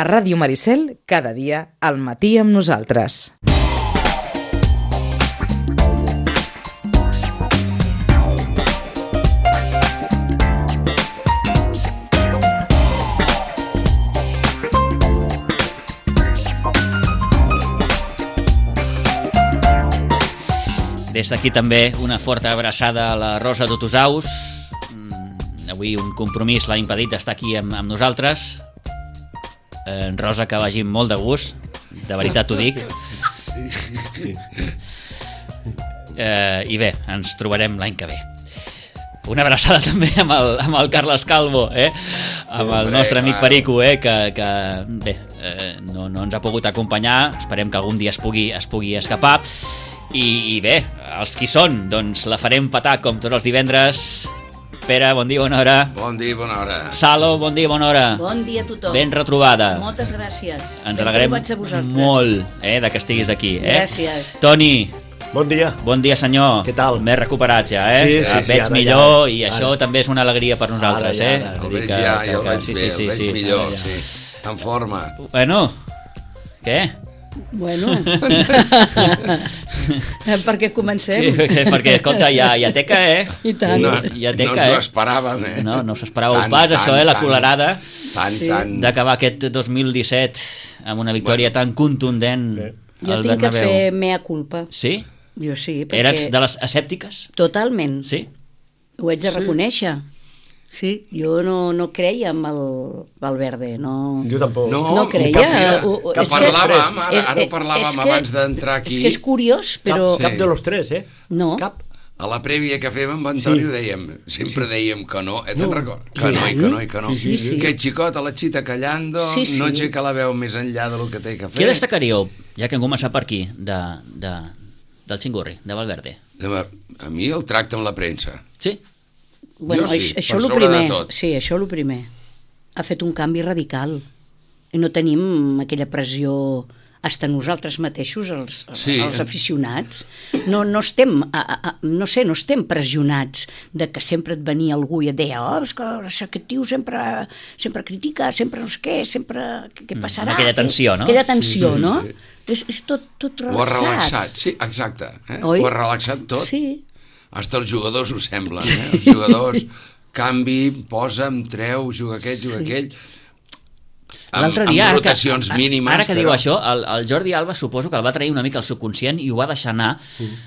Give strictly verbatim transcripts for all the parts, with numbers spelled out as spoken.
A Ràdio Maricel, cada dia, al matí amb nosaltres. Des d'aquí també una forta abraçada a la Rosa d'Otosaus. Avui un compromís l'ha impedit d'estar aquí amb, amb nosaltres. Eh, Rosa, que vagi molt de gust, de veritat t'ho dic. Sí. Eh, I bé, ens trobarem l'any que ve. Una abraçada també amb el, amb el Carles Calvo, eh? amb el nostre amic Perico, eh? que, que bé, eh, no, no ens ha pogut acompanyar. Esperem que algun dia es pugui, es pugui escapar. I, I bé, els qui són, doncs la farem petar com tots els divendres. Pere, bon dia, bona hora. Bon dia, bona hora. Salo, bon dia, bona hora. Bon dia a tothom. Ben retrobada. Moltes gràcies. Ens alegrem molt eh, de que estiguis aquí. Eh? Gràcies. Toni. Bon dia. Bon dia, senyor. Què tal? Més recuperat ja, eh? Sí, sí, ja sí, veig ara, millor ara, i ara. això també és una alegria per nosaltres, Ara, eh? ara. El Vull dir veig que- ja, que- ja el que- veig sí, bé, sí, el sí, veig sí. millor, Ja. sí. En forma. Bueno, què? Bueno. Perquè comencem. Sí, perquè, escolta, ja, ja teca, eh? I tant. No, Ja no teca, ens ho eh? esperàvem, eh? No, no s'esperàveu Tant, pas, tant, això, eh? La tant. colerada Tant, Sí. tant. d'acabar aquest dos mil disset amb una victòria tan contundent Jo al tinc que Bernabéu. fer mea culpa. Sí? Jo sí, perquè... Eres de les escèptiques? Totalment. Sí? Ho haig de reconèixer. Sí, jo no, no creia en el Valverde, no... Jo tampoc. No, No creia. Mira, Ho- ho- que és que- parlàvem, ara, és- ara ho és parlàvem que- abans d'entrar aquí. És que és curiós, però... Cap, cap de los tres, eh? No. Cap. A la prèvia que fèiem amb Antoni Sí. ho dèiem, sempre dèiem que no, eh, te'n No. recordes? Que no, i que no, i que no. Sí, sí. Que xicot a la xita callando, Sí, sí. no aixeca la veu més enllà del que té que fer. Què destacaríeu, ja que hem començat per aquí, de, de, del Xingurri, de Valverde? A mi el tracte amb la premsa. Sí? Bueno, Jo sí, això, per això el sobre de primer. tot. Sí, això el primer. Ha fet un canvi radical. I no tenim aquella pressió hasta nosaltres mateixos, els, Sí. els aficionats. No, no estem, a, a, a, no sé, no estem pressionats de que sempre et venia algú i et deia oh, és que aquest tio sempre, sempre critica, sempre no sé què, sempre... Què, què passarà? aquella tensió, no? Aquella tensió, Sí, sí, no? sí. És, és tot, tot Ho ha relaxat. relaxat, sí, exacte. Eh? Oi? Ho ha relaxat tot. Sí. Hasta els jugadors ho semblen, eh? Els jugadors, canvi, posa'm, treu, juga aquest, juga Sí. aquell... Amb, L'altre dia, amb ara que, rotacions mínimes, ara que però... diu això, el, el Jordi Alba suposo que el va trair una mica al subconscient i ho va deixar anar.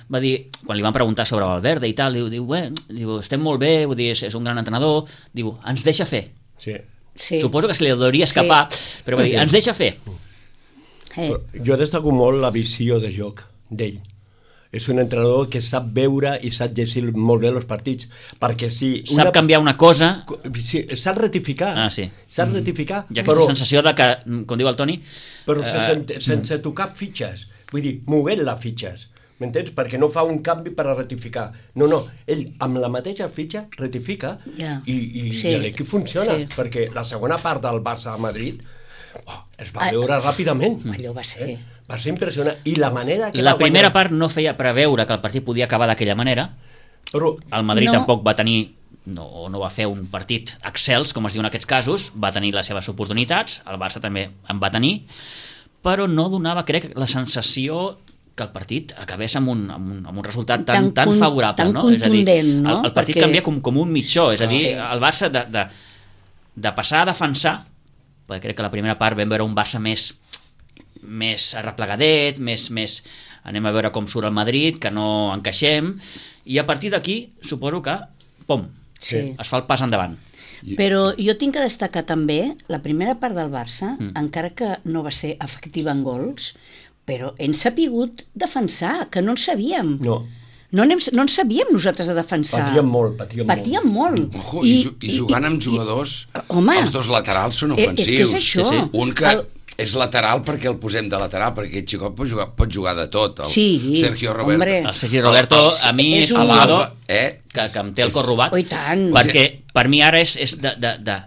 Va dir, quan li van preguntar sobre Valverde i tal, diu, diu, bé, diu estem molt bé, vull dir, és, és un gran entrenador, diu, ens deixa fer. Sí. Sí. Suposo que se li hauria escapar, sí. Però va dir, ens deixa fer. Eh. Però jo destaco molt la visió de joc d'ell. És un entrenador que sap veure i sap llegir molt bé els partits, perquè si... Sap canviar una cosa... Sí, sap rectificar. Ah, sí. Sap rectificar. Hi ha aquesta però, sensació de que, com diu el Toni... Però eh, sense, sense tocar fitxes. Vull dir, movent-la fitxes. M'entens? Perquè no fa un canvi per a rectificar. No, no, ell amb la mateixa fitxa rectifica Ja. i, i, Sí. i l'equip funciona. Sí. Perquè la segona part del Barça a Madrid oh, es va Ah, veure ràpidament. Allò va ser... Va ser impressionant. I la manera que La va primera guanyar... part no feia preveure que el partit podia acabar d'aquella manera. Però, El Madrid No. tampoc va tenir no, no va fer un partit excels, com es diu en aquests casos, va tenir les seves oportunitats, el Barça també en va tenir, però no donava, crec, la sensació que el partit acabés amb un, amb un, amb un resultat tan, Tan tan con- favorable. tan No? És a dir, contundent, no? el, el partit Perquè- canvia com, com un mitjó, és a dir, Sí. el Barça de, de, de passar a defensar, perquè crec que la primera part vam veure un Barça més més arreplegadet, més, més anem a veure com surt el Madrid, que no encaixem, i a partir d'aquí suposo que, pom, Sí. es fa el pas endavant. Però jo tinc que destacar també la primera part del Barça, Mm. encara que no va ser efectiva en gols, però hem sapigut defensar, que no en sabíem. no, No, anem, no en sabíem nosaltres a defensar. patíem molt, patíem, Patíem molt. Ojo, i, ju- i jugant amb jugadors, home, els dos laterals són eh, ofensius. és que és això. Sí, sí. Un que El- és lateral perquè el posem de lateral, perquè aquest xicot pot jugar, pot jugar de tot. El Sí, Sergio Roberto. hombre. El Sergi Roberto, a mi és és un- un jugador L'Alba, eh? que, que em té el És- cor robat, Oh, i tant. perquè per mi ara és, és de, de, de...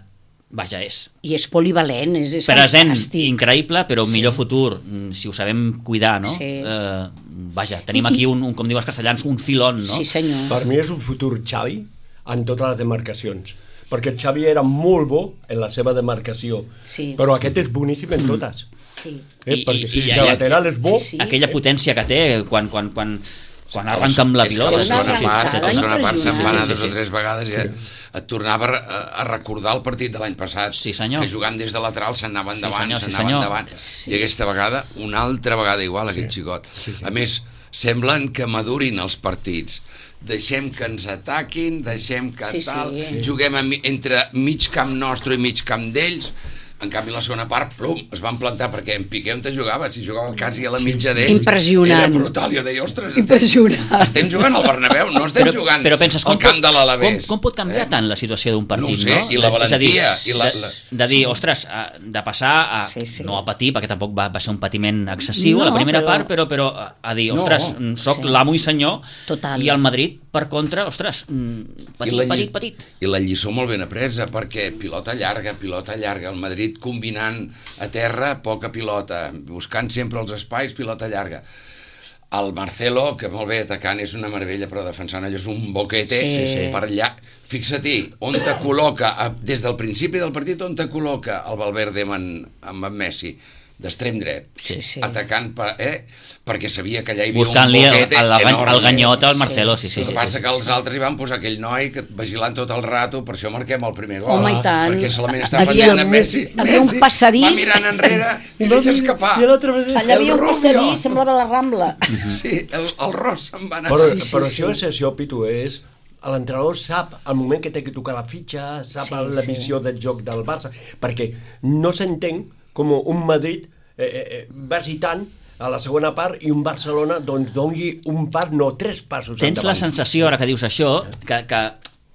Vaja, és I és polivalent, és, és present, fantàstic. increïble, però un millor futur, mm, si ho sabem cuidar, no? Sí. Eh, vaja, tenim I- aquí, un, un, com diuen els castellans, un filon, no? Sí, senyor. per mi és un futur Xavi en totes les demarcacions, perquè el Xavi era molt bo en la seva demarcació, Sí. però aquest és boníssim en totes. Sí. Eh? I- Perquè i- si i- el lateral és bo, Sí, sí. Aquella potència que té quan, quan, quan, quan arranca amb la És que pilota. a la És una segona arrancada part, a la segona part se'n va anar Sí, sí, dos o sí. tres vegades i et tornava a, a recordar el partit de l'any passat, Sí, senyor. que jugant des de lateral s'anava Sí, endavant, senyor, sí, s'anava senyor. endavant, i aquesta vegada, una altra vegada igual, aquest xicot. A més, semblen que madurin els partits. Deixem que ens ataquin, deixem que Sí, sí. tal, juguem a, mi- entre mig camp nostre i mig camp d'ells. En canvi, la segona part, plum, es van plantar, perquè en Piqué on te jugava, si jugava quasi a la mitja d'ells, Impressionant. era brutal. Jo deia, ostres, Impressionant. estem jugant al Bernabéu, no estem Però, jugant però penses, al com, camp pot, de l'Alavés. com, com pot canviar Eh? tant la situació d'un partit, No ho sé, no? i la És a dir, valentia, i la- de, la- de dir, ostres, a- de passar a, Sí, sí. no a patir, perquè tampoc va, va ser un patiment excessiu No, a la primera però- part, però, però a, a dir, ostres, No. soc Sí. l'amo i senyor, Total. i el Madrid, per contra, ostres, mm, petit, I la lli- petit, petit. I la lliçó molt ben apresa, perquè pilota llarga, pilota llarga, el Madrid combinant a terra, poca pilota, buscant sempre els espais, pilota llarga. El Marcelo, que molt bé atacant, és una meravella, però defensant allò és un boquete Sí, sí. per allà. Fixa-t'hi, on te col·loca, a- des del principi del partit, on te col·loca el Valverde amb en, amb en Messi, d'extrem dret, Sí, sí. atacant, per, eh? perquè sabia que allà hi havia Buscant-li un el, boquete el, el, enorme. el ganyot al Marcelo, sí, sí. El sí, que passa sí. que els altres hi van posar aquell noi que vigilant tot el rato, per això marquem el primer gol. Home, i tant. Perquè solament està Havia- pendent de Messi. havia un Messi passadís. va mirant enrere i deixa escapar. I l'altre vegada- Allà havia El un Rubio. passadís, semblava la Rambla. Sí, el, el Ross se'n va anar. Però, Sí, però sí, això és això, Pitu, és... L'entrenador sap el moment que té que tocar la fitxa, sap Sí, la sí. visió del joc del Barça, perquè no s'entén com un Madrid eh, eh, vagi tant a la segona part i un Barcelona doncs doni un pas, no, tres passos Tens la endavant. sensació, ara que dius això, que, que,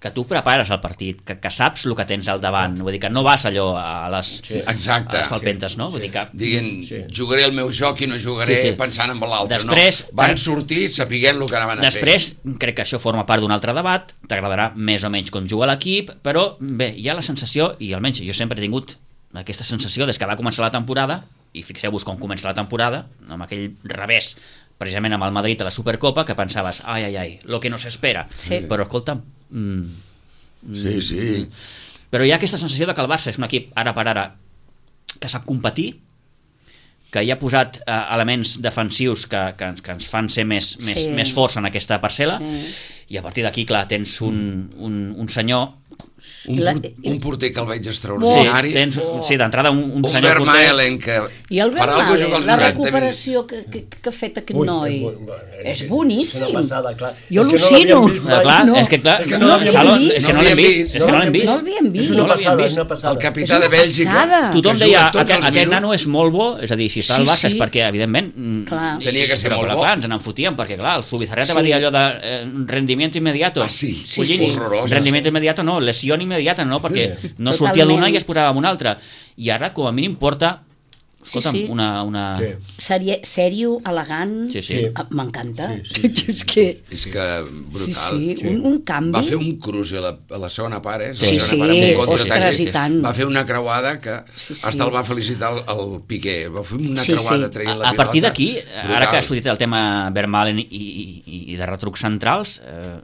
que tu prepares el partit, que, que saps el que tens al davant, vull dir que no vas allò a les, Sí. Exacte. a les palpentes, no? Vull dir que... Dient, Sí. jugaré el meu joc i no jugaré Sí, sí. pensant en l'altre. Després- no. Van sortir sapiguent el que anaven a Després, crec que això forma part d'un altre debat, t'agradarà més o menys com juga l'equip, però bé, hi ha la sensació, i almenys jo sempre he tingut aquesta sensació des que va començar la temporada, i fixeu-vos com comença la temporada, amb aquell revés, precisament amb el Madrid a la Supercopa, que pensaves, ai, ai, ai, lo que no s'espera. Sí. Però, escolta'm, mm, fer. Sí, sí. però hi ha aquesta sensació de que el Barça és un equip, ara per ara, que sap competir, que hi ha posat eh, elements defensius que, que, ens- que ens fan ser més, més, Sí. més forts en aquesta parcel·la, Sí. i a partir d'aquí, clar, tens un, un, un senyor... Un, La- por- un porter que el veig Sí, extraordinari. tens, sí d'entrada un, un un senyor Vermaelen que I el per algo juga Vermaelen, els la noranta minuts. recuperació que, que, que ha fet aquest Ui, noi, és bu- és és boníssim. una passada, clar. Jo És que no al·lucino. l'havíem vist mai. Ah, clar, No, és que clar, és que no, no l'havíem Salo, vist. és que no No l'hem l'havíem vist, vist. és que no l'hem No vist. No l'havíem És vist. una No l'havíem passada, vist. és una passada. El capità És una de Bèlgica passada. Tothom que deia, juga tots aquest, els aquest minuts. nano és molt bo, és a dir, si està Sí, al Barça sí. és perquè, evidentment, mm, Clar. Tenia que ser però, molt però, bo. clar, ens n'en fotíem, perquè clar, el Zubizarreta Sí. va dir allò de eh, rendimiento inmediato. Ah, sí? Sí, Collins, sí. Horrorós. rendimiento inmediato no, lesión inmediata no, perquè Sí. no sortia Totalment. d'una i es posava amb una altra. I ara, com a mínim, porta escolta'm, Sí, sí. una... una... Sí. Serie, sèrio, elegant, Sí, sí. Sí. Ah, m'encanta. Sí, sí, sí, és que, És que sí, brutal. sí, Sí. un, un canvi. Va fer un cruç a la, a la segona part, eh? Sí, la segona sí, part, amb un ostres, contraatac. i tant. Va fer una creuada que Sí, sí. hasta el va felicitar el, el Piqué. Va fer una Sí, creuada sí. traient A, la a partir pilota. d'aquí, ara Brutal. que ha sortit el tema Vermaelen i, i, i de retrucs centrals, eh,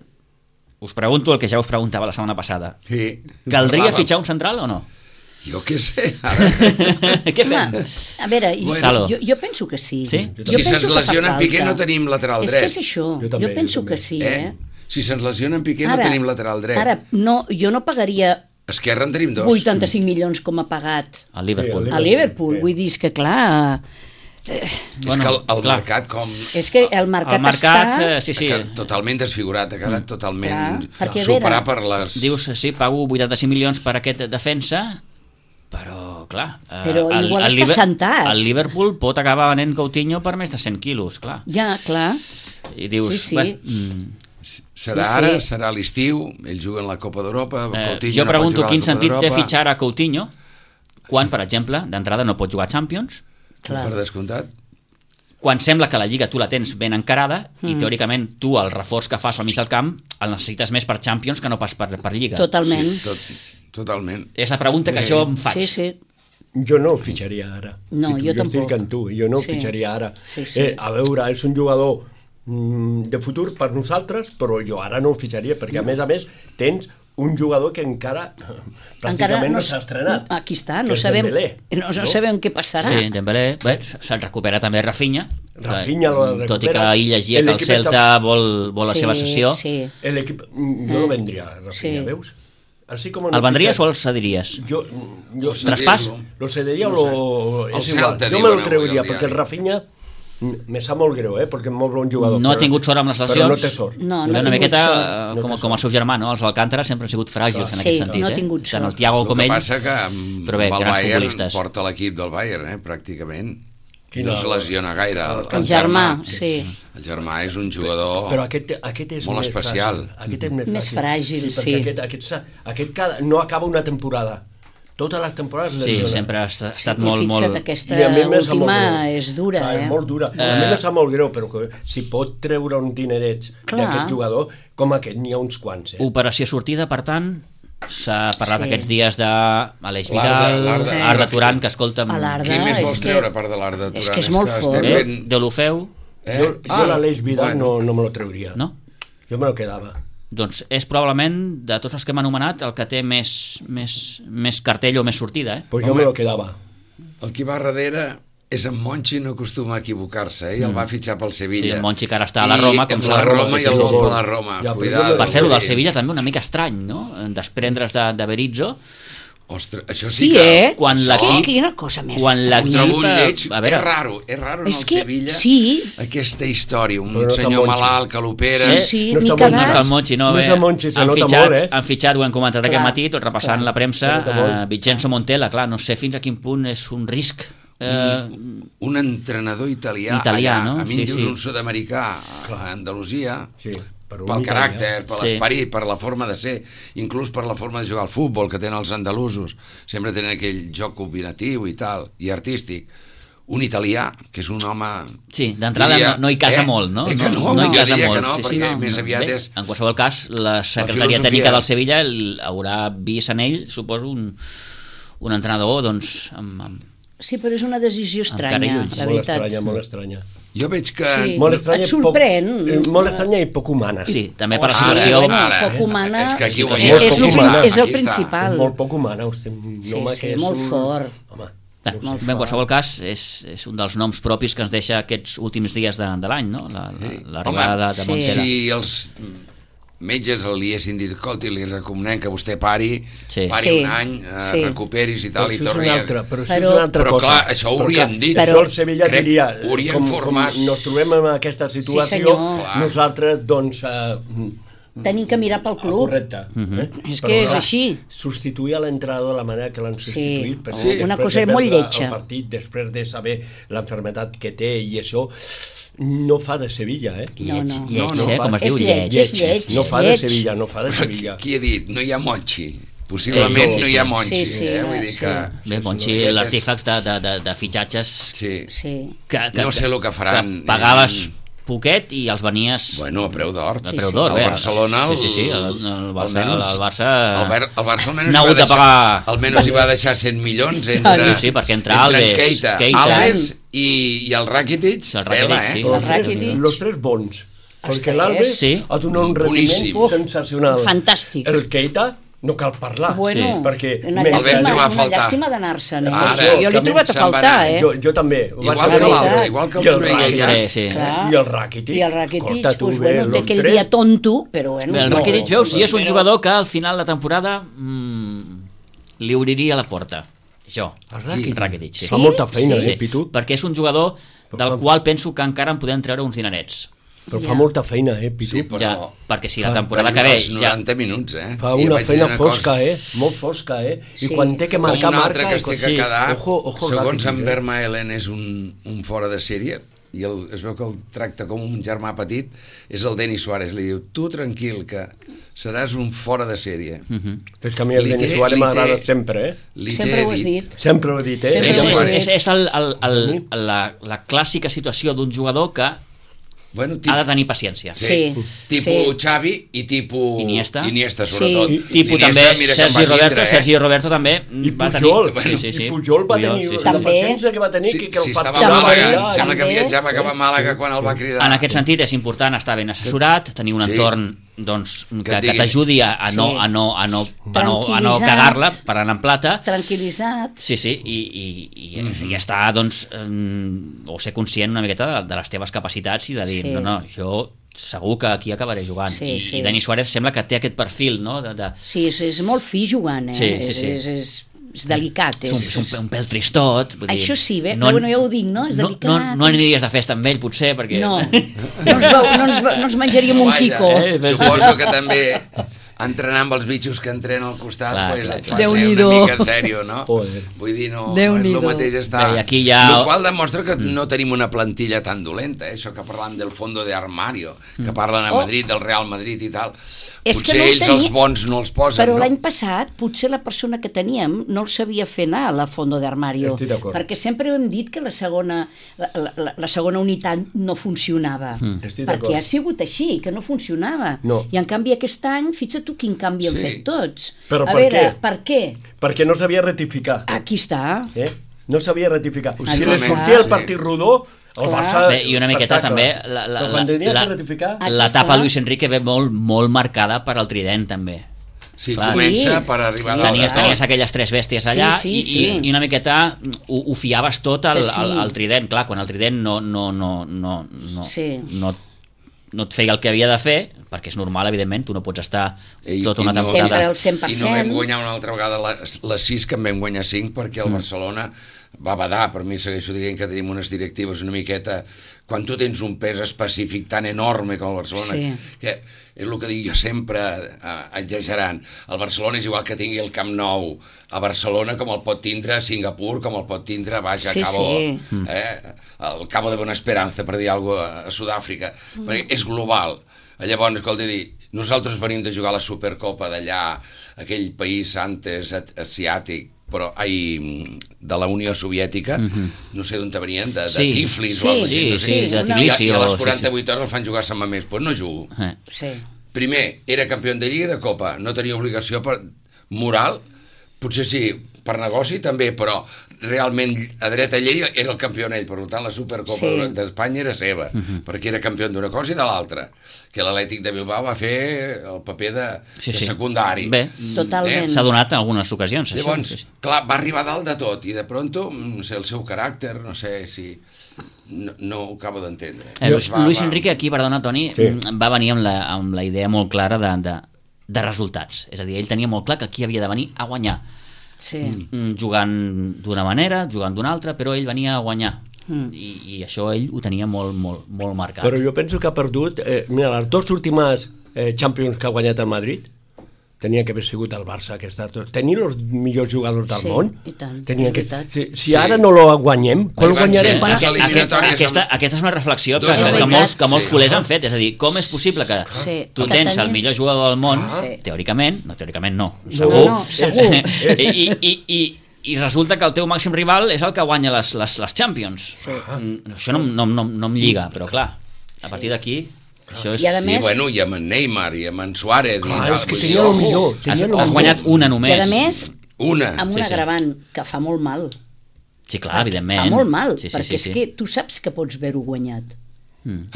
us pregunto el que ja us preguntava la setmana passada. Sí. Caldria Parlàvem. fitxar un central o no? Jo què sé, ara. Què fem? Home, a veure, jo, Bueno. jo, jo penso que sí. Sí? Jo Si penso se'ns que fa lesiona en Piqué falta. no tenim lateral és dret. És que és això, Jo jo, també, jo penso jo que també. sí, Eh? eh? Si se'ns lesiona en Piqué no tenim lateral dret. Ara, no, jo no pagaria Esquerra en tenim dos. vuitanta-cinc milions com ha pagat Al Liverpool. Sí, a Liverpool. Sí. Vull dir, és que clar... És que el, el clar. mercat com... És que el mercat, El mercat, està... eh, sí, sí. ha quedat totalment desfigurat, ha quedat totalment Clar, perquè, a superat veure, per les... Dius, sí, pago vuitanta-cinc milions per aquest defensa, però, clar... eh, Però el- igual el està Liber- sentat. El Liverpool pot acabar venent Coutinho per més de cent quilos, clar. Ja, clar. I dius, Sí, sí. bé, mm, Serà Sí, sí. ara, serà l'estiu, ells juguen la Copa d'Europa, eh, Coutinho jo no pot pregunto jugar a la quin Copa sentit té d'Europa, fitxar a Coutinho quan, per exemple, d'entrada no pot jugar a Champions, Clar. per descomptat. quan sembla que la Lliga tu la tens ben encarada Mm. i teòricament tu el reforç que fas al mig del camp el necessites més per Champions que no pas per, per Lliga. Totalment. Sí, tot, totalment. És la pregunta que Sí. jo em faig. Sí, sí. Jo no el fitxaria ara. No, I tu- jo jo tampoc. estic amb tu, jo no el Sí. fitxaria ara. Sí, sí. Eh, a veure, és un jugador mm, de futur per nosaltres, però jo ara no el fitxaria, perquè a més a més tens un jugador que encara pràcticament no s'ha estrenat. Aquí està, no que és sabem, Dembélé, no, no sabem què passarà. Sí, Dembélé, bé, se'n recupera també Rafinha, Rafinha lo recupera. tot i que ahir llegia que el L'equip Celta està- vol, vol la Sí, seva sessió. Sí. El equip, jo lo vendria, Rafinha, Sí. veus? Así como El vendries o el cediries? Yo, yo Traspàs? lo cederia o lo... El És igual, Celta, jo diuen me lo avui treuria, al perquè el diari. Rafinha me sap molt greu, eh, perquè és molt bon jugador. No ha però- tingut sort amb les Però lesions. no té sort. No, Una ha tingut miqueta sort. eh, No com, té com el seu germà, no? Els Alcántara sempre han sigut fràgils en Sí, aquest sentit. no ha eh? tingut Tant el sort. Thiago El com que ell. passa que amb, Però bé, amb el grans Bayern futbolistes. porta l'equip del Bayern, eh, pràcticament. I Quina- no se lesiona gaire. El, El germà, sí. El germà és un jugador... Però aquest, aquest és Molt més especial. Fràgil. Aquest és més, Més fràgil, sí. Perquè aquest, aquest, s'ha- aquest cada, no acaba una temporada. Totes les temporades Sí, lesiona. sempre ha estat Sí, molt, i fixa't, molt... aquesta I a mi em sap molt última greu. és dura, Clar, eh? És molt dura. A mi em sap molt greu, però que si pot treure un dinerets Clar. d'aquest jugador, com aquest, n'hi ha uns quants. Eh? Operació sortida, per tant, s'ha parlat Sí. aquests dies de Aleix L'Arda, Vidal, l'Arda. Arda Turan, que escolta'm... A l'Arda. Qui més és vols que- treure a part de l'Arda Turan? és que és molt estem fort. Eh? fent- De l'Ofeu, Eh? Jo, jo Ah, l'Aleix Vidal bueno. no, no me lo treuria. no? Jo me lo quedava. Doncs és probablement, de tots els que hem anomenat, el que té més, més, més cartell o més sortida, eh? Pues jo Home. me lo quedava. El que va darrere és en Monchi, no acostuma a equivocar-se, eh? I el va fitxar pel Sevilla. Sí, en Monchi, que ara està a la Roma, I, com amb s'ha- la Roma sí, i el sí, vol sí. per la Roma. Ja, però Cuidado. jo- Per fer-ho del vull dir, Sevilla també una mica estrany, no? Desprendre's de, de Berizzo, Ostres, això sí, Sí, que... eh? quan això- l'equip- Quina cosa més quan Ho l'equip- trobo un eh, lleig, a veure. és raro, és raro en És el que Sevilla sí. aquesta història, un Però no està senyor Monchi. malalt que l'opera. Sí, Sí, No m'hi està he molt- no quedat. està el Monchi, no? No Bé, és el Monchi, se han nota fitxat, molt, eh? Han fitxat, ho hem comentat Clar, aquest matí, tot repassant clar. la premsa, Se nota molt. uh, Vincenzo Montella, clar, no sé fins a quin punt és un risc. Eh, Un entrenador italià, Italià, allà, no? a mi Sí, em dius sí. un sud-americà a Andalusia, Sí, per un pel italià. caràcter, per Sí. l'esperit, per la forma de ser, inclús per la forma de jugar al futbol que tenen els andalusos, sempre tenen aquell joc combinatiu i tal, i artístic. Un italià, que és un home... sí, d'entrada diria, no, no hi casa eh? molt, no? Eh que no, no hi jo casa diria molt. que no, sí, perquè sí, més aviat Bé, és... En qualsevol cas, la secretaria filosofia. tècnica del Sevilla el, haurà vist en ell, suposo, un, un entrenador, doncs, amb, amb, Sí, però és una decisió estranya, cara i ulls. la Molt veritat. estranya, molt estranya. Jo veig que... Sí. Molt estranya Et i poc- sorprèn? eh, molt estranya i poc humana. Sí, també per la Ara, situació... bueno, ara, poc eh? humana És que aquí ho és, veiem. és, Poc el, humana. és el Aquí està. principal. És molt poc humana. Hosti, un Sí, home sí, que és molt un... fort. Home, Ah, Molt bé, en fort. qualsevol cas, és, és un dels noms propis que ens deixa aquests últims dies de, de l'any, no? La- la- L'arribada de, de sí. Montella. Si els metges li haguessin dit, escolti, li recomanem que vostè pari, Sí. pari Sí, un any, eh, sí. recuperis i tal, però i això és torni una a... altra, però això Però- és una altra Però, cosa. clar, això ho Però, hauríem clar, dit. Això Però- el Sevilla crec, diria, ho hauríem com, com format. nos trobem en aquesta situació, senyor. Clar. nosaltres, doncs... Eh, Tenim que mirar pel club. correcte. eh? És Però, que és clar, així. Substituir a l'entrenador de la manera que l'han substituït, per Sí. Una després cosa de molt perdre lletja. El partit, després de saber l'enfermetat que té i això, no fa de Sevilla, eh? No, no. Lleig, No, no, eh? fa- Com es és diu, lleig, lleig. és lleig. No és fa de lleig. Sevilla, no fa de Sevilla. Qui ha dit? No hi ha Monchi. Possiblement Eh, no hi ha Monchi. sí, sí, eh? no, Vull dir sí. que... Bé, Monchi, Aquest és- l'artífex de, de, de, de fitxatges Sí. Sí. que, que, No sé el que faran. que pagaves poquet i els venies Bueno, a preu d'or. a Sí, preu sí. d'or. El bé. Barcelona... El, Sí, sí, sí, el, el, Barça, el, almenys- el Barça... El, Bar, el Barça almenys n'ha hi va hagut de deixar, pagar... almenys hi va deixar cent milions entre, Sí, sí, perquè entre entre Alves, Keita, Keita. Alves i, i el Rakitic, El Rakitic, tela, eh? sí. Los El tres, Rakitic. los tres bons. Perquè tres. l'Alves Sí. ha donat un Boníssim. rendiment Uf, sensacional. fantàstic. El Keita no cal parlar. Bueno, Sí. perquè una mentre- El vam llàstima, trobar a una faltar. llàstima d'anar-se'n. Eh? Ara, jo l'he que trobat a se'n va faltar, anar. eh? Jo, jo també. Ho Igual vaig que veure. l'altre, igual que el I el Torrella. Rakitic. Eh, sí. Clar. I el Rakitic. I el Rakitic, Escolta, tu, pues, bé, bueno, té los aquell tres. dia tonto, però bueno. Bé, el No, Rakitic, veus, si és un però- jugador que al final de temporada mmm, li obriria la porta. Jo. El Rakitic. Rakitic, sí. Fa molta feina, Sí, eh, Pitu? perquè és un jugador del qual penso que encara en podem treure uns dinerets. Però Ja. fa molta feina, eh, Pitu? Sí, però... Ja, perquè si la Fa- temporada va que jugar ve els ja... noranta minuts, eh? Fa I una vaig feina dir fosca, cosa, eh? Molt fosca, eh? I Sí. quan té que Com marcar, un altre marca... que i es té quan- que sí. quedar, Ojo, ojo, segons Rakitic, en eh? Vermaelen és un, un fora de sèrie, i el, es veu que el tracta com un germà petit, és el Denis Suárez. Li diu, tu tranquil, que seràs un fora de sèrie. Mm -hmm. És que a mi el Li Denis té- Suárez li m'agrada té- sempre, eh? Li Sempre té ho has dit. Sempre ho he dit, eh? Sempre És, ho és, has és, dit. és el, el, el, la, la clàssica situació d'un jugador que Bueno, ha de tenir paciència. Sí. Tipus sí. Xavi i tipus... Iniesta. Iniesta, Sí. sobretot. I- Tipus Iniesta, també mira que en Sergi va Roberto, tindre, eh? Sergi Roberto també I va Pujol, tenir... Sí, sí, sí. i Pujol va tenir sí, sí. la També. paciència que va tenir Sí, que, que sí, el fa estava a També, Màlaga, em sembla que també. viatjava cap a Màlaga quan el va cridar. En aquest sentit és important estar ben assessorat, tenir un Sí. entorn doncs, que, Que et que diguis. t'ajudi a, a, no, Sí. a, no, a, no, a, no, a no Tranquil·litzat. cagar-la per anar en plata. Tranquil·litzat. Sí, sí, i, i, i, mm -hmm. i estar, doncs, eh, o ser conscient una miqueta de, de les teves capacitats i de dir, Sí. no, no, jo segur que aquí acabaré jugant. Sí, I, sí. I Dani Suárez sembla que té aquest perfil, no?, de, de, Sí, és, és molt fi jugant, eh? Sí, sí, és, sí. És, és, és delicat. és, un, és un, un pèl tristot. Vull dir, Això sí, bé, però bueno, ja ho dic, no? És no, delicat. no, no aniries de festa amb ell, potser, perquè... No, no ens, veu, no ens, no ens menjaríem un Vaja, quico. eh? Suposo que també entrenar amb els bitxos que entrenen al costat, Clar, pues, clar, et clar. fa ser una Déu-n'hi-do. mica en sèrio, no? Joder. Vull dir, no, no és Déu-n'hi-do. el mateix estar... Bé, i aquí ja- El qual demostra que no tenim una plantilla tan dolenta, eh? Això que parlam del fondo de armario, que parlen a Oh. Madrid, del Real Madrid i tal. És que Potser no el ells tenia- els bons no els posen, Però no? l'any passat potser la persona que teníem no el sabia fer anar a la fondo d'armario, Estic d'acord. perquè sempre hem dit que la segona, la, la, la segona unitat no funcionava, Mm. Estic perquè d'acord. ha sigut així, que no funcionava. No. I en canvi aquest any, fixa't tu quin canvi han Sí. fet tots. Però a per veure, què? per què? Perquè no sabia rectificar. Aquí està. Eh? No sabia rectificar. Si Possiblement, li sortia el sí. partit rodó, el Clar. Barça... Bé, i una miqueta també espectacle. la, la, Però quan la, tenia la, que rectificar... Aquí l'etapa està. Luis Enrique ve molt, molt marcada per al trident, també. Sí, Clar. comença Sí. per arribar Sí, a Tenies, clar. tenies aquelles tres bèsties allà Sí, sí, i, sí. i, i una miqueta ho, ho fiaves tot al, Sí. al, al trident. Clar, quan el trident no, no, no, no, no, Sí. no, no et feia el que havia de fer, perquè és normal, evidentment, tu no pots estar I- tota i una no- temporada... Sempre al cent per I cent. no vam guanyar una altra vegada les, les sis, que en vam guanyar cinc, perquè el Barcelona va badar. Per mi segueixo dient que tenim unes directives una miqueta... Quan tu tens un pes específic tan enorme com el Barcelona, Sí. que és el que dic jo sempre, eh, exagerant, el Barcelona és igual que tingui el Camp Nou a Barcelona com el pot tindre a Singapur, com el pot tindre, vaja, Sí, a Cabo, sí. eh, el Cabo de Buena Esperanza, per dir alguna cosa, a Sud-àfrica, Mm. perquè és global. Llavors, escolta, dir, nosaltres venim de jugar la Supercopa d'allà, aquell país antes asiàtic, però ai, de la Unió Soviètica, no sé d'on venien, de, de Sí. Tiflis Sí, o alguna cosa així, sí, no sí, sé. de I a- Tbilisi I a o- les sí, quaranta-vuit hores el fan jugar a Sant Mamés, doncs no jugo. Eh. Sí. Primer, era campió de Lliga i de Copa, no tenia obligació per moral, potser sí, per negoci també, però realment a dreta llei era el campió ell, per tant la Supercopa Sí. d'Espanya era seva, perquè era campió d'una cosa i de l'altra, que l'Atlètic de Bilbao va fer el paper de, Sí, de sí. secundari. Bé, Totalment. s'ha donat en algunes ocasions. Això. Llavors, Sí, sí. clar, va arribar a dalt de tot i de pronto, no sé, el seu caràcter, no sé si... No, no ho acabo d'entendre. Eh, Luis, Va- Luis va- Enrique aquí, perdona Toni, Sí. mm, va venir amb la, amb la idea molt clara de, de, de resultats. És a dir, ell tenia molt clar que aquí havia de venir a guanyar. Sí. Mm, jugant d'una manera, jugant d'una altra, però ell venia a guanyar. Mm. I, I això ell ho tenia molt, molt, molt marcat. Però jo penso que ha perdut... Eh, mira, les dues últimes eh, Champions que ha guanyat el Madrid tenia que haver sigut el Barça, que està tot... Tenien els millors jugadors del Sí, món. i tant, Tenien és que... veritat. Si, si Sí. ara no lo guanyem, quan Ahí lo van guanyarem? ser. Bueno, Les aquest, eliminatòries aquesta, amb- aquesta és una reflexió que, Dos que, que, eliminats, molts, que molts sí. culers han fet. És a dir, com és possible que Sí, tu que tens tenien- el millor jugador del món, Sí. teòricament, no, teòricament no, No, segur, no, no, segur. I, i, i, i resulta que el teu màxim rival és el que guanya les, les, les Champions. Sí. Mm, Això no, no, no, no em lliga, però clar, a partir d'aquí, això és... I a I, més- bueno, i amb en Neymar i amb en Suárez. Clar, i tal, és que vull tenia dir, el millor. ojo, Tenia Has, el has millor. guanyat una només. I a més, Una. amb un Sí, sí. agravant que fa molt mal. Sí, clar, evidentment. Fa molt mal, sí, sí, perquè sí, sí. és que tu saps que pots haver-ho guanyat.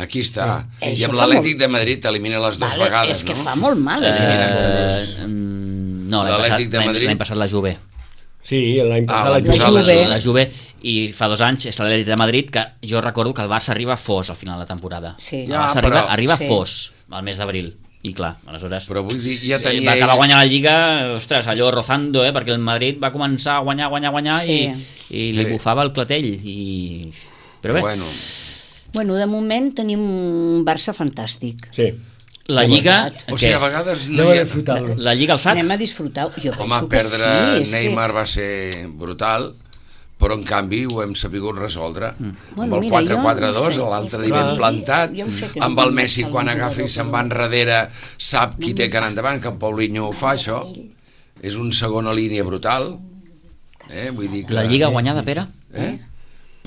Aquí està. Eh, I això amb fa l'Atlètic molt- de Madrid t'elimina les dues Vale, vegades, és que no? fa molt mal. Eh, això. mm, no, l'any L'Atlètic passat, de l'any- Madrid. l'any passat la Juve. Sí, l'any Ah, passat l'any la passat Juve. la Juve. La Juve, i fa dos anys és l'Atlètic de Madrid, que jo recordo que el Barça arriba fos al final de la temporada. Sí. El Ja, Barça arriba, però- arriba Sí. fos al mes d'abril. I clar, aleshores... Però vull dir, ja eh, tenia... va acabar ell- guanyant la Lliga, ostres, allò rozando, eh, perquè el Madrid va començar a guanyar, guanyar, guanyar Sí. i, i li Sí. bufava el clatell. I... Però bé, Bueno, Bueno, de moment tenim un Barça fantàstic. Sí. la Lliga... o sigui, què? a vegades no Anem hi a ha... disfrutar-lo. La Lliga al sac? Anem a disfrutar. Jo Home, penso que perdre sí, és Neymar que... va ser brutal, però en canvi ho hem sabut resoldre. Mm. Bueno, Amb el mira, quatre jo quatre dos, no sé. l'altre dia Clar. ben plantat, Jo ho sé que amb no el em Messi marxa quan el agafa i jugador, se'n va enrere sap qui té que anar endavant, que en Paulinho ho fa, això. És un segona línia brutal. Eh? Vull dir que... La Lliga guanyada, Pere? Eh?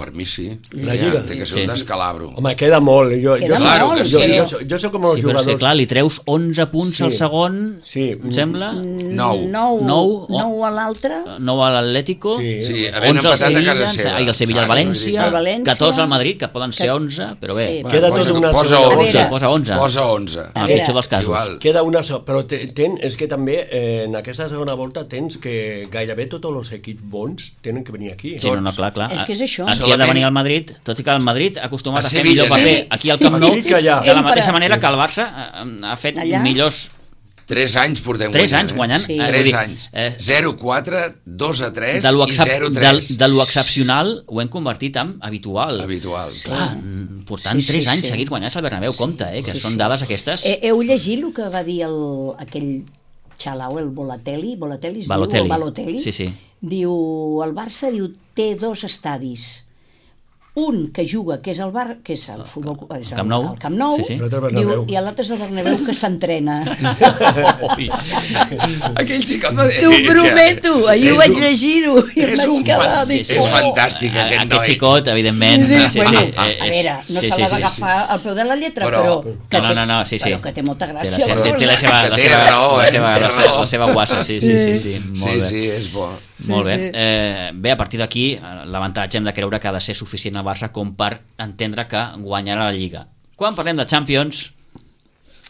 Per mi sí. La Ja, Lliga. té que ser Sí. un descalabro. Home, queda molt. Jo, Queda jo, Claro molt, que jo, sí. jo, jo, jo soc com els Sí, però és jugadors... que clar, li treus onze punts Sí. al segon, Sí. em sembla, Nou. Nou, Nou, nou a l'altre. nou a l'Atlético, Sí. Sí, havent onze al empatat a Sevilla, casa seva. i el Sevilla al Clar, València, El València. catorze al Madrid, que poden ser Que- onze, però bé, Sí. va, Queda posa, tot una posa segona. onze. A veure. Posa onze. Posa onze. en A el veure. pitjor dels casos. Igual. Queda una so... Però te, ten, és que també eh, en aquesta segona volta tens que gairebé tots els equips bons tenen que venir aquí. Sí, no, no, clar, clar. És que és això. Aquí ha de Solament- venir el Madrid, tot i que el Madrid ha acostumat A a fer Sevilla, millor paper sí. aquí al Camp Nou, Aquí que allà. de la mateixa Sempre. manera que el Barça eh, ha fet Allà. millors Tres anys portem tres guanyant. anys guanyant. Sí. eh, vull Tres dir, anys. eh, zero a quatre, dos a tres de lo, i excep zero a de, tres. de lo excepcional ho hem convertit en habitual. Habitual. Clar, mm, portant Sí, sí, tres anys sí. seguits guanyats al Bernabéu, compte, eh, que Sí, són sí. dades aquestes. He, heu llegit el que va dir el, aquell xalau, el Bolatelli? Bolatelli es Balotelli. diu? O Balotelli? Sí, sí. Diu, el Barça diu, té dos estadis. Un que juga, que és el Bar, que és el futbol, és el, Camp Nou. el Camp Nou, Sí, sí. L'altre diu, Bernabéu. i l'altre és el Bernabéu que s'entrena. Ui. Aquell xicot va dir... T'ho prometo, ahir ho és vaig un- llegir-ho i em és vaig un quedar... fan- dic, és oh. fantàstic, A- aquest Aquest noi. xicot, evidentment. Sí, Sí, bueno, sí, eh, a és- veure, no sí, se sí, l'ha sí, d'agafar al peu de la lletra, Però- però... que No, té- no, no, sí, sí. Però que té molta Té la gràcia. seva, té, té la cosa. seva, Que la té seva, raó, la eh? seva, Té la seva, raó. la seva guassa, sí, sí, sí, sí, molt Sí, bé. sí, és bo. Molt bé. sí. Eh, bé, a partir d'aquí, eh, l'avantatge hem de creure que ha de ser suficient al Barça com per entendre que guanyarà la Lliga. Quan parlem de Champions,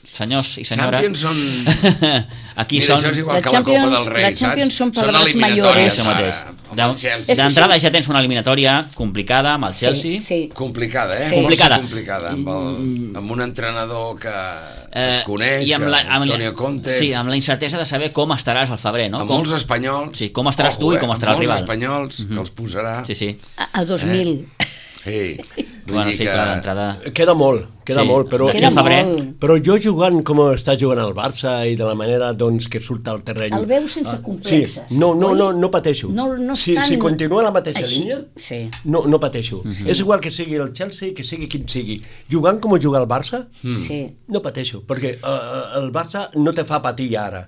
senyors i senyores... Champions són... Aquí Mira, són... això és igual La que la Copa Champions- del Rei, la Champions saps? són palabras eliminatòries mayores. Això ara, mateix. amb el Chelsea. que D'entrada sí. ja tens una eliminatòria complicada amb el Chelsea. Sí, sí. Complicada, eh? Sí. Complicada. complicada amb, el, amb un entrenador que Eh, et coneix, i amb que la, amb, Antonio Conte, sí, amb la incertesa de saber com estaràs al febrer, no? amb Com, molts espanyols... Sí, com estaràs tu i com estarà el amb rival. molts espanyols que els posarà... sí, sí. A, a dos mil. Ei, vull Bueno, dir sí, que... clar, d'entrada... Queda molt, queda Sí. molt, però... D'aquí Queda al febrer... molt. Però jo jugant com està jugant el Barça i de la manera doncs, que surt al terreny... El veus sense complexes, Sí, no, no, oi? no, no pateixo. No- no si, estan si continua la mateixa així. línia, Sí. no, no pateixo. És igual que sigui el Chelsea, que sigui quin sigui. Jugant com juga el Barça, Sí. no pateixo, perquè uh, el Barça no te fa patir ara.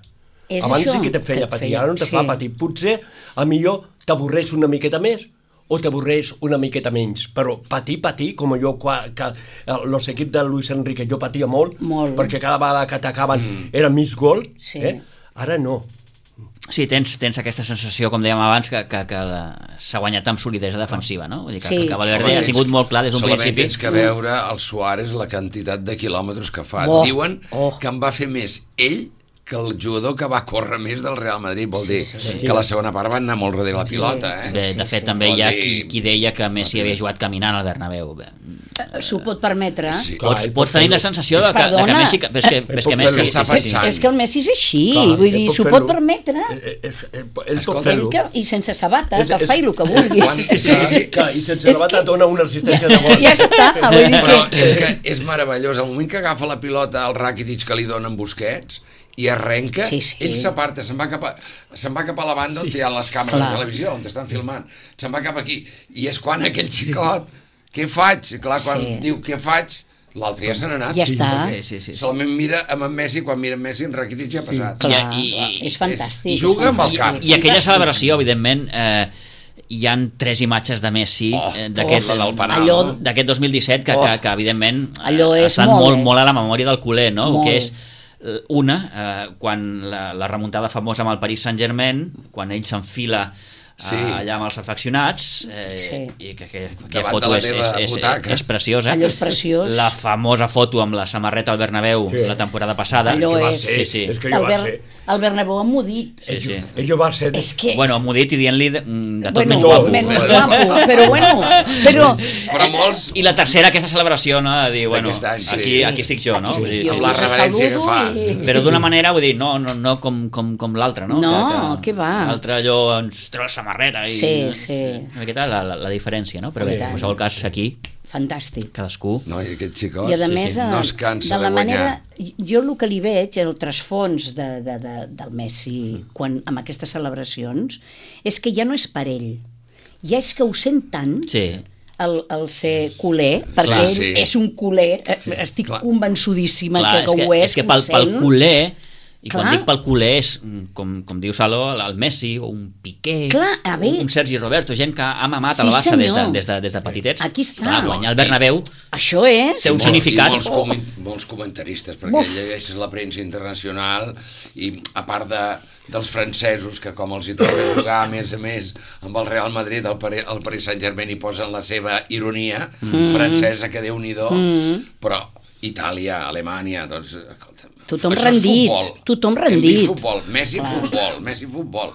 És Abans això sí que te que feia et patir, feia, ara no te sí. fa patir. Potser, a millor, t'avorreix una miqueta més o t'avorreix una miqueta menys, però patir, patir, com jo, quan, que els equips de Luis Enrique, jo patia molt, Molt. perquè cada vegada que atacaven mm. era mig gol, Sí. eh? Ara no. Sí, tens, tens aquesta sensació, com dèiem abans, que, que, que la- s'ha guanyat amb solidesa defensiva, no? Vull dir que, Sí. que Valverde Solament ha tingut tens- molt clar des d'un solament principi. tens que veure el Suárez la quantitat de quilòmetres que fa. Oh, Diuen oh. que en va fer més ell que el jugador que va córrer més del Real Madrid. Vol dir sí. que la segona part van anar molt darrere la pilota, eh? Bé, de fet, també Vol hi ha dir- qui, qui deia que Messi havia jugat caminant al Bernabéu. Bé, S'ho pot permetre. Sí. Clar, Pots, ell pots pot tenir la fer-ho. sensació de que, de que Perdona. Messi... que- És que, Ell és pot que Messi... fer-ho, Sí, està sí, sí. pensant. És que el Messi és així, Clar, vull ell dir, pot s'ho fer-lo. pot permetre. Eh, eh, eh, eh, Ell pot Escolta, fer-ho. Ell que, I sense sabates, És- que és- faci el que vulgui. Quan, sí, Que, I sense la bata dona una assistència de gol. Ja està, vull dir però que... és que és meravellós. Al moment que agafa la pilota el Rakitic que li donen Busquets i arrenca, Sí, sí. ell s'aparta, se'n va, cap a, se'n va cap a la banda on hi ha les càmeres Clar. de televisió, on t'estan filmant. Se'n va cap aquí. I és quan aquell xicot, què faig? Clar, quan Sí. diu què faig, l'altre ja se n'ha anat. Ja està. Sí, sí, sí, sí. Solament mira amb en Messi, quan mira en Messi, en Rakitic ja ha passat. Clar, I- i- és fantàstic. i juga amb el és cap. fantàstic. I aquella celebració, evidentment, eh, hi han tres imatges de Messi Oh, eh, d'aquest oh, la del penal, allò- no? d'aquest dos mil disset que, Oh. que, que evidentment Allò ha és estat molt, molt, eh? molt a la memòria del culer, no? Molt. Que és eh, una, eh, quan la, la remuntada famosa amb el Paris Saint-Germain, quan ell s'enfila Sí. sí. allà amb els afeccionats, eh, Sí. i que, que, que Davant foto de la és, teva és, és, butaca. és preciosa. Allò és preciós. La famosa foto amb la samarreta al Bernabéu Sí. la temporada passada. Allò Que va és- ser, Sí, sí. és que El, jo va Ber ser. el Bernabéu emmudit. Sí, sí. Ell va ser... És que... Bueno, m'ho dit i dient-li de, de tot bueno, menys guapo. menys Bueno. guapo, però bueno, però... Però molts, I la tercera, aquesta celebració, no? De dir, bueno, D'aquest any, sí. aquí, aquí estic jo, no? Aquí Vull dir, estic amb jo, la us reverència que saludo fa. i- Però d'una manera, vull dir, no, no, no com, com, com l'altra, no? No, què va? L'altre allò ens treu la samarreta i... Sí, sí. Una miqueta la, la, la diferència, no? Però Sí. bé, en qualsevol cas, aquí, Fantàstic. cadascú... no, i aquest xicot I a sí, més, sí. eh, no es cansa de la de guanyar. manera... Jo el que li veig, el trasfons de, de, de, del Messi quan, amb aquestes celebracions, és que ja no és per ell. Ja és que ho sent tant Sí. el, el ser culer, perquè Clar, ell sí. és un culer, eh, estic Clar. convençudíssima Clar, que, és que, ho és, és que ho pel, pel sent. culer I Clar. quan dic pel culer és, com, com diu Saló, el Messi o un Piqué, Clar, a veure. un Sergi Roberto, gent que ha mamat Sí, el Barça des de, senyor. des, de, des de petitets. Aquí està. Clar, guanyar el Bernabéu Això és... té un I significat. molts, comen, molts comentaristes, perquè Uf. llegeixes la premsa internacional i a part de, dels francesos, que com els hi toca jugar a més a més amb el Real Madrid, el Paris, el Paris Saint-Germain hi posen la seva ironia mm. francesa, que Déu-n'hi-do, mm. però Itàlia, Alemanya, doncs... Escolta, Tothom això és rendit, futbol. tothom Hem rendit. vist futbol, Messi futbol, Messi futbol.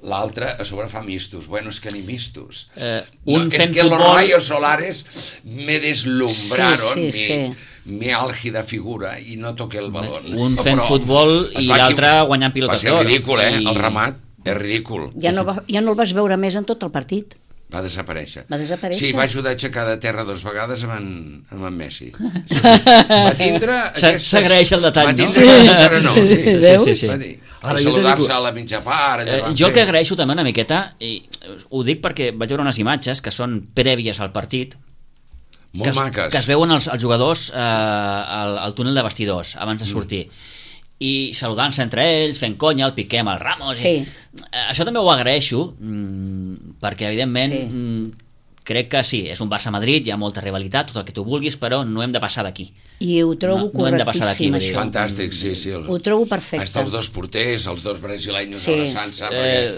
L'altre a sobre fa mistos. Bueno, és que ni mistos. Eh, no, un és fent que futbol... los rayos solares me deslumbraron, Sí, sí, mi, sí. mi àlgida figura i no toqué el balón. Un fent Però futbol es i va l'altre equivocar. guanyant pilotes d'or. Va ser ridícul, eh? I- El remat és ridícul. Ja no, va, ja no el vas veure més en tot el partit. Va desaparèixer. Va desaparèixer? Sí, va ajudar a aixecar de terra dos vegades amb en, amb en Messi. Sí, sí. Va tindre... Se- s'agraeix el detall, va no? tindre aquesta serenor, sí. Sí, Veus? sí, sí. Va dir, Ara, al jo te saludar-se dic- a la mitja part... allà Eh, van jo el fer. que agraeixo també una miqueta, i ho dic perquè vaig veure unes imatges que són prèvies al partit, Molt que es, maques. que es veuen els, els jugadors eh, al, al túnel de vestidors abans de sortir i saludant-se entre ells, fent conya, el Piqué amb el Ramos. Sí. I, eh, això també ho agraeixo, mm, perquè evidentment Sí. mm, crec que sí, és un Barça-Madrid, hi ha molta rivalitat, tot el que tu vulguis, però no hem de passar d'aquí. I ho trobo No- no hem de passar d'aquí, correctíssim, vull dir. això. Fantàstic, sí, sí. El... Ho trobo perfecte. Hasta els dos porters, els dos brasileños Sí. abraçant-se, Eh,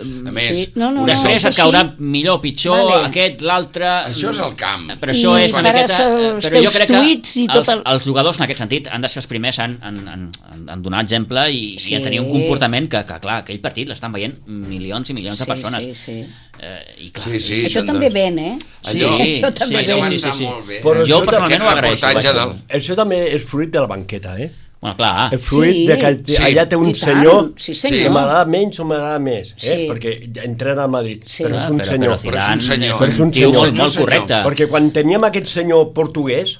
perquè, a més... sí. No, no, Després no, et és caurà així. millor, pitjor, Vale. aquest, l'altre... Això és el camp. Però això I és una faràs miqueta... eh, els Però jo teus crec que tuits i tot els, el- els jugadors en aquest sentit han de ser els primers en, en, en, en, en donar exemple i, Sí. i a tenir un comportament que, que, clar, aquell partit l'estan veient milions i milions de Sí, persones. sí, sí. Eh, I clar, Sí, sí. Això doncs- també ven, eh? Allò- Sí, això també sí, Allò va sí, estar sí, sí. molt bé. Però eh? Jo això personalment Aquest ho agraeixo. reportatge vaja. del... Això també és fruit de la banqueta, eh? Bueno, clar, És fruit Sí. de que Sí. allà té un I tant, senyor sí, que senyor. m'agrada menys o m'agrada més, eh? Sí. Perquè entrena al Madrid, Sí. però és Ah, un però, senyor. Però Zidane Però és un senyor. és Però és un un tio senyor. molt, molt Senyor. correcte. Perquè quan teníem aquest senyor portuguès,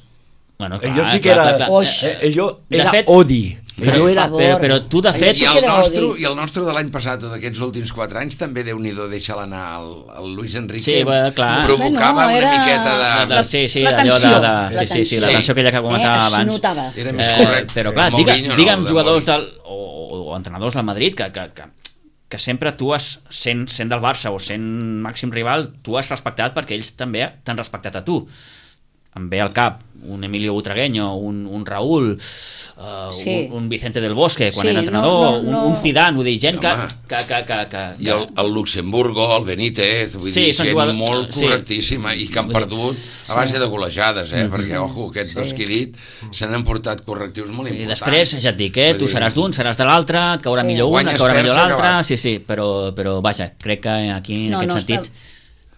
Bueno, ell sí que clar, era... clar, clar. Oix. eh, ell De era fet- odi. Però, Ell era... favor. però, però tu, de fet... I Allò sí el, que era nostre, odi. I el nostre de l'any passat o d'aquests últims quatre anys també Déu-n'hi-do deixa l'anar el, el Luis Enrique. Sí, bé, clar. Provocava Bueno, una era- miqueta de, de... de, sí, sí, la allò de, tensió, de, la sí, sí, sí, la tensió. tensió aquella que comentava Eh, es abans. notava. Era més Eh, correcte. però clar, El digue, Mourinho no, digue'm el de jugadors Mourinho. del, o, o, o entrenadors del Madrid que, que, que, que sempre tu has, sent, sent del Barça o sent màxim rival, tu has respectat perquè ells també t'han respectat a tu. Em ve al cap un Emilio Butragueño, un, un Raúl, uh, Sí. un, un Vicente del Bosque quan Sí, era entrenador, no, no, no. Un, un Zidane, vull dir, gent que, Home. que, que, que, que, I el, el Luxemburgo, el Benítez, vull Sí, dir, són gent jugadors- molt sí. correctíssima i que han perdut a base de golejades, eh? Perquè, ojo, aquests dos que he dit se n'han portat correctius molt I importants. després, ja et dic, eh, tu Vull dir, seràs d'un, seràs de l'altre, et caurà Sí. millor una, et Guanyes, caurà perds, millor l'altre, acabat. sí, sí, però, però vaja, crec que aquí, en No, aquest no, sentit... està-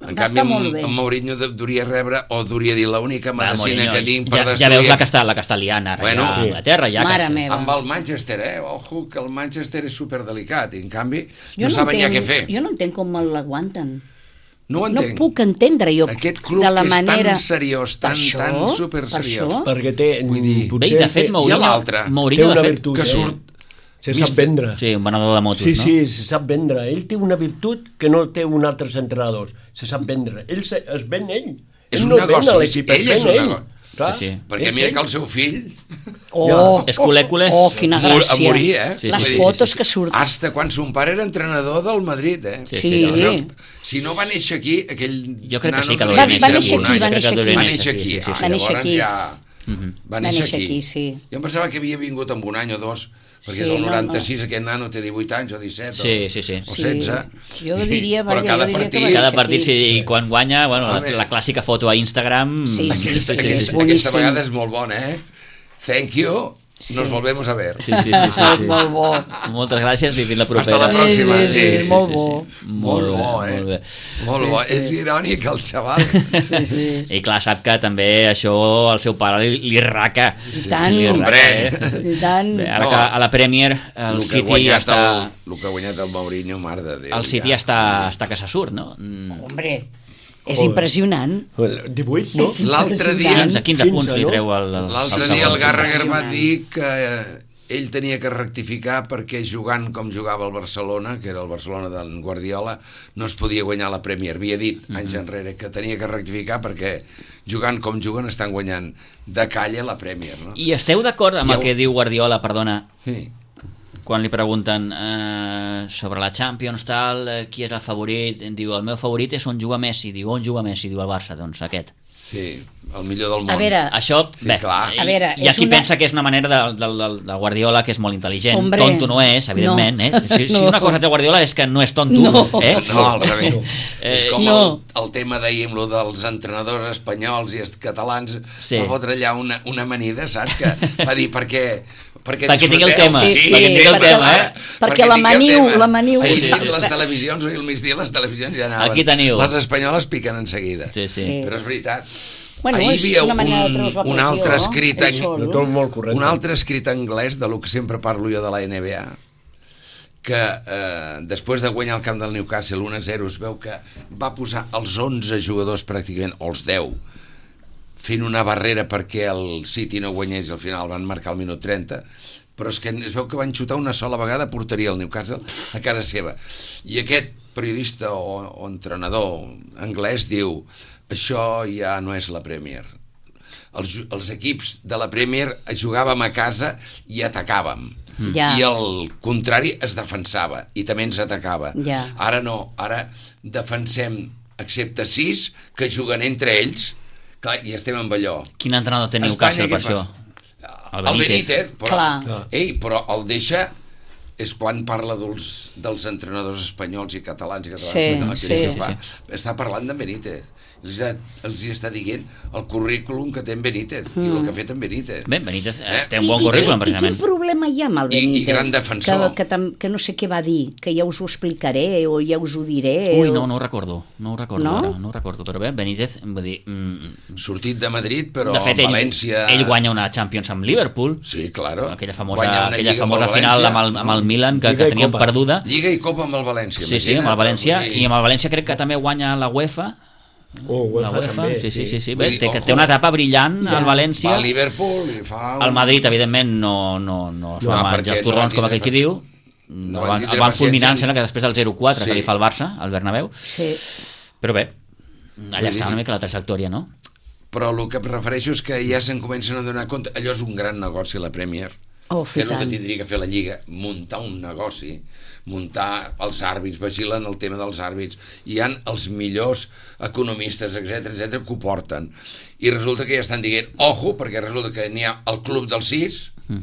En Va canvi, estar molt bé. en Mourinho de- duria rebre, o duria dir, l'única Va, medicina Mourinho, que tinc per ja, destruir... ja veus la que està, la que està liant ara, Bueno, ja, a sí. Anglaterra, ja Mare que... meva. Amb el Manchester, eh? Ojo, que el Manchester és superdelicat i en canvi Jo no, saben ja què entenc- fer. Jo no entenc com l'aguanten. No ho No entenc. puc entendre jo Aquest club de la que és manera... tan seriós, tan, Per això? tan Per superseriós. això? Perquè té... Vull dir, potser Bé, i de fet, té- Mourinho, l'altre. té Mourinho, una de fet, virtut, que eh? surt... Se sap Mister- vendre. Sí, un venedor de motos, Sí, no? sí, se sap vendre. Ell té una virtut que no té un altre entrenador. Se sap vendre. Ell se, es ven ell. És ell un no es ven negoci, a l'equip, ell es ven és un ell. negoci. Clar, Sí, sí. Perquè és mira ell. que el seu fill Oh, És culècule. oh, quina mor- gràcia. a morir, eh? Sí, sí, Les sí, sí, fotos sí. que surten. hasta quan son pare era entrenador del Madrid, eh? Sí, sí, Si sí. no- Si no va néixer aquí, aquell Jo crec que nano sí que devia hauria Va- va néixer néixer un aquí, any. va Jo crec que néixer hauria Va aquí. néixer sí, aquí. sí, sí, Ah, sí. Va néixer llavors aquí. ja... Va néixer aquí. sí. Jo em pensava que havia vingut amb un any o dos, perquè Sí, és el no, noranta-sis, aquest nano té divuit anys o disset Sí, o, sí, sí. o Sí. setze. Jo diria, Però vaja, cada jo diria que partit... va Cada néixer partit, aquí. sí, i quan guanya, bueno, la, Home. la clàssica foto a Instagram... Sí, sí, Aquesta, sí, aquesta, és aquesta boníssim. vegada és molt bona, eh? Thank you, nos volvemos a ver. Sí, sí, sí, sí, sí. Molt bo. Moltes gràcies i fins la propera. Hasta la pròxima. Sí, sí, sí, Sí, molt sí, bo. sí. Molt bo, eh? Molt bé. Molt Sí, bo. sí. És irònic, el xaval. Sí, sí. I clar, sap que també això al seu pare li, li raca. I tant. Li raca, Hombre. eh? I tant. Bé, ara No. que a la Premier el El que, ha City guanyat està... el, el que ha guanyat el Mourinho, mare de Déu. El City ja. està, està que se surt, no? Mm. Hombre, és Joder. impressionant. divuit, no? És L'altre dia- quinze, quinze punts quinze, li no? treu el, el, L'altre el dia el segon. Gallagher va Impressionant. dir que eh, ell tenia que rectificar perquè jugant com jugava el Barcelona, que era el Barcelona d'en Guardiola, no es podia guanyar la Premier. Havia dit anys enrere que tenia que rectificar perquè jugant com juguen estan guanyant de calle la Premier, no? I esteu d'acord amb I el el- que diu Guardiola, perdona, Sí. quan li pregunten eh, sobre la Champions, tal, eh, qui és el favorit, diu, el meu favorit és on juga Messi, diu, on juga Messi, diu el Barça, doncs aquest. Sí, el millor del món. A veure, Això, Sí, bé, clar. i, A veure, hi ha és qui una- pensa que és una manera de, de, de, de Guardiola que és molt intel·ligent. Hombre, Tonto no és, evidentment. no. Eh? Si, si No. una cosa té Guardiola és que no és tonto. No. Eh? No, al revés. Eh, és com no. el, el tema d'ahir amb lo dels entrenadors espanyols i est- catalans, Sí. va fotre allà una, una amanida, saps? Que va dir, perquè... Perquè, Perquè tingui el disfruteu. tema, Sí, sí, perquè tingui el perquè tema, la- eh? perquè la tingueu maniu- tema. la maniu- Ahir Sí, sí, sí. les televisions, avui al migdia les televisions ja anaven. Aquí teniu. Les espanyoles piquen en seguida. Sí, sí. Sí. Però és veritat. Bueno, Ahir és hi havia una manera de un, treure-us la un pressió, altre escrit en, això, No, tot molt correcte. un altre escrit anglès de lo que sempre parlo jo de la N B A, que eh, després de guanyar el camp del Newcastle un a zero es veu que va posar els onze jugadors pràcticament, o els deu, fent una barrera perquè el City no guanyés, al final van marcar al minut trenta, però és que es veu que van xutar una sola vegada a porteria el Newcastle a casa seva. I aquest periodista o, o entrenador anglès diu, això ja no és la Premier. Els, ju- els equips de la Premier jugàvem a casa i atacàvem. Ja. I el contrari es defensava i també ens atacava. Ja. Ara no, ara defensem, excepte sis, que juguen entre ells, clar, i estem amb allò. Quin entrenador té Espanya, Newcastle per què això? passa? El Benítez, però, Clar. ei, però el deixa és quan parla dels, dels entrenadors espanyols i catalans i catalans Sí, que la sí. crisi fa, està parlant de Benítez. Els, ha, els hi està dient el currículum que té en Benítez mm. i el que ha fet en Benítez. Bé, Benítez eh, Eh? té un bon I- currículum, i, I precisament. quin problema hi ha amb el I- i Benítez? gran defensor. Que, que, tam- que no sé què va dir, que ja us ho explicaré o ja us ho diré. Ui, o... no, no ho recordo, no ho recordo No? ara, no ho recordo, però bé, Benítez, vull dir, mm, Sortit de Madrid, però de fet, en ell, València... ell guanya una Champions amb Liverpool, Sí, claro. aquella Guanya famosa, una aquella Lliga amb famosa el final València. amb el, amb el Milan, que, Lliga que i teníem Copa. perduda. Lliga i Copa amb el València. Sí, sí, amb el imagina't, València, vull dir- i amb el València crec que també guanya la UEFA, Oh, la UEFA, UEFA, també, sí, sí, sí, sí. Vull Bé, dir, té, que ojo. té una etapa brillant Ja. al Va València. a Liverpool i fa... Un... El Madrid, evidentment, no, no, no es No, va perquè menjar els no torrons, van com aquell tindre qui diu. no No van van, tindre el van fulminar, em paciència. sembla que després del zero quatre Sí. que li fa el Barça, al Bernabéu. Sí. Però bé, allà Vull està dir- una mica la trajectòria, no? Però el que em refereixo és que ja se'n comencen a donar compte. Allò és un gran negoci, la Premier. Oh, que fer és el que tant. tindria que fer la Lliga, muntar un negoci, muntar els àrbits, vigilen el tema dels àrbits, hi han els millors economistes, etc etc que ho porten. I resulta que ja estan dient, ojo, perquè resulta que n'hi ha el club dels sis, mm.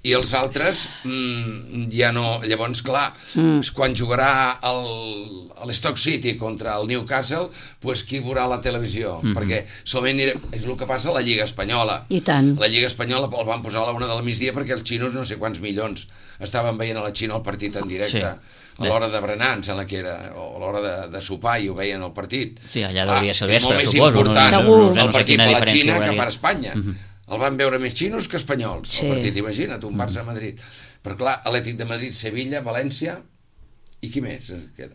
i els altres mm, ja no... Llavors, clar, mm. quan jugarà el, l'Stoke City contra el Newcastle, pues qui veurà la televisió? Mm. Perquè solament era, és el que passa a la Lliga Espanyola. I tant. La Lliga Espanyola el van posar a la una del migdia perquè els xinos no sé quants milions estaven veient a la Xina el partit en directe. Sí. A l'hora de berenar, em sembla que era, o a l'hora de, de sopar, i ho veien al partit. Sí, allà hauria de ser el és molt vespre, més suposo, no? important Segur. No sé, el no sé partit quina per la diferència Xina que horària. per Espanya. El van veure més xinos que espanyols, Sí. el partit, imagina't, un Barça-Madrid. Però clar, Atlètic de Madrid, Sevilla, València, i qui més ens queda?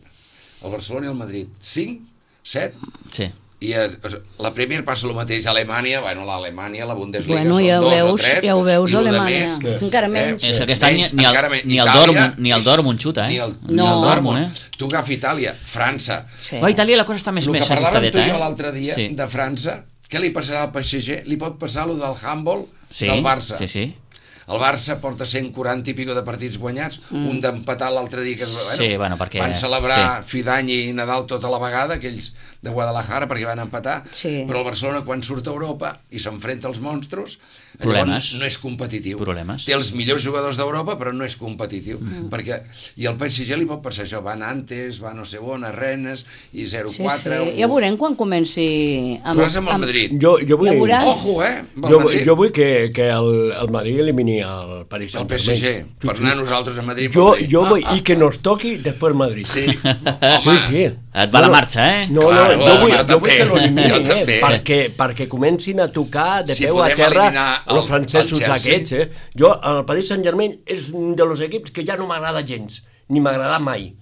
El Barcelona i el Madrid. Cinc? Set? Sí. I es, es, la Premier passa el mateix a Alemanya, bueno, l'Alemanya, la Bundesliga Bueno, són ja ho dos o veus, tres, ja ho veus, i lo de Alemanya. més, Encara menys. És que aquest any menys, ni el, encara menys. ni el Itàlia, Dortmund, ni el Dortmund xuta, eh? Ni el, No. ni el Dortmund, Dortmund, eh? Tu agafa Itàlia, França. Sí. A Itàlia la cosa està més El més que parlàvem tu ajustadeta, i jo eh? l'altre dia Sí. de França, què li passarà al P S G? Li pot passar el del handball Sí, del Barça. sí, sí. El Barça porta cent quaranta i pico de partits guanyats, mm. un d'empatar l'altre dia que bueno, Sí, bueno, perquè- van celebrar sí. Fidany i Nadal tota la vegada, aquells de Guadalajara, perquè van empatar, Sí. però el Barcelona quan surt a Europa i s'enfrenta als monstros, Problemes. llavors no és competitiu. Problemes. Té els millors jugadors d'Europa, però no és competitiu. Mm. Perquè, i el P S G li pot passar això, va a Nantes, va a no sé on, a Rennes, i zero Sí, quatre... sí. Ja veurem quan comenci... Amb, Però és amb el Madrid. Jo, jo vull... Ja veuràs. Ojo, eh? amb el Jo, Madrid. jo vull que, que el, el Madrid elimini el Paris El P Saint-Germain. S G, per anar nosaltres a Madrid. Jo, per dir, jo ah, vull, ah, i que nos toqui després Madrid. Sí, Sí, home, sí. Et va la marxa, eh? No, Claro, no, jo vull, jo jo vull també, que l'eliminin, jo eh? també. Perquè, perquè comencin a tocar de Si peu a podem terra eliminar el- els francesos el Chelsea. aquests, eh? Jo, el Paris Saint-Germain és un dels equips que ja no m'agrada gens, ni m'agrada mai.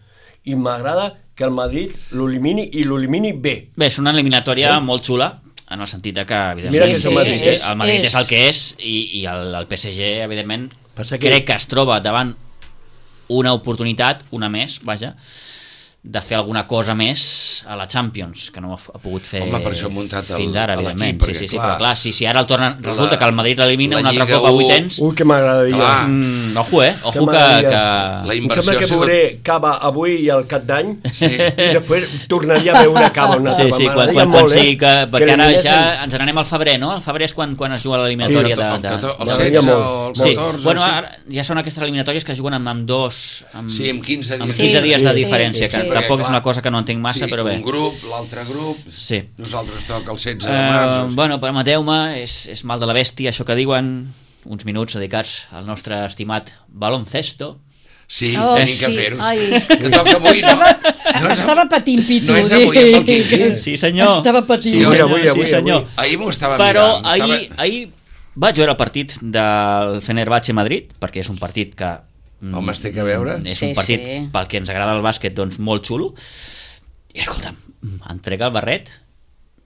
I m'agrada que el Madrid l'elimini i l'elimini bé. Bé, és una eliminatòria molt xula, en el sentit de que, Mira evidentment, que sí, és el Madrid, sí, és- el Madrid és, és- el que és, i, i el, el P S G, evidentment, Passa que- crec que es troba davant una oportunitat, una més, vaja, de fer alguna cosa més a la Champions, que no ha pogut fer Home, per això ha muntat el- fins ara, a l'equip, evidentment. Sí, perquè, sí, sí, clar, però clar, si, si ara el tornen, resulta la- que el Madrid l'elimina la un altre Lliga cop a u- vuitens, Ui, que m'agradaria. Clar. mm, ojo, eh? Ojo que... m'agradaria. que... La Em inversió sembla ha que sigut... veuré Cava avui i el cap d'any Sí. i després tornaria a veure Cava una Sí, altra sí, quan, m'agradaria quan, quan molt, sigui que... Perquè ara l'eliminessin. ja ens n'anem al febrer, no? El febrer és quan, quan es juga l'eliminatòria Sí, de... el de, catorze, el de- setze molt, o el Sí, catorze, bueno, sí. ara ja són aquestes eliminatòries que es juguen amb, amb dos... Amb, Sí, amb quinze dies. amb quinze Sí, dies de sí, diferència, sí, que sí. tampoc Perquè, és una cosa que no entenc massa, sí, però bé. un grup, l'altre grup... Sí. Nosaltres toca el setze de març. Uh, o sigui. bueno, permeteu-me, és, és mal de la bèstia, això que diuen, uns minuts dedicats al nostre estimat baloncesto. Sí, Oh, tenim que sí, fer-ho. ai. Que toca avui, no? Estava, no és, estava patint pitu. no és avui, amb el Quiqui. Sí, senyor. Estava patint. Sí, Avui, senyor, avui, avui, sí, senyor. Ahir m'ho estava Però mirant. ahir, Estava... ahir vaig veure el partit del Fenerbahçe Madrid, perquè és un partit que... mm, Home, es té que veure. És Sí, un partit, sí. pel que ens agrada el bàsquet, doncs molt xulo. I escolta'm, entrega el barret,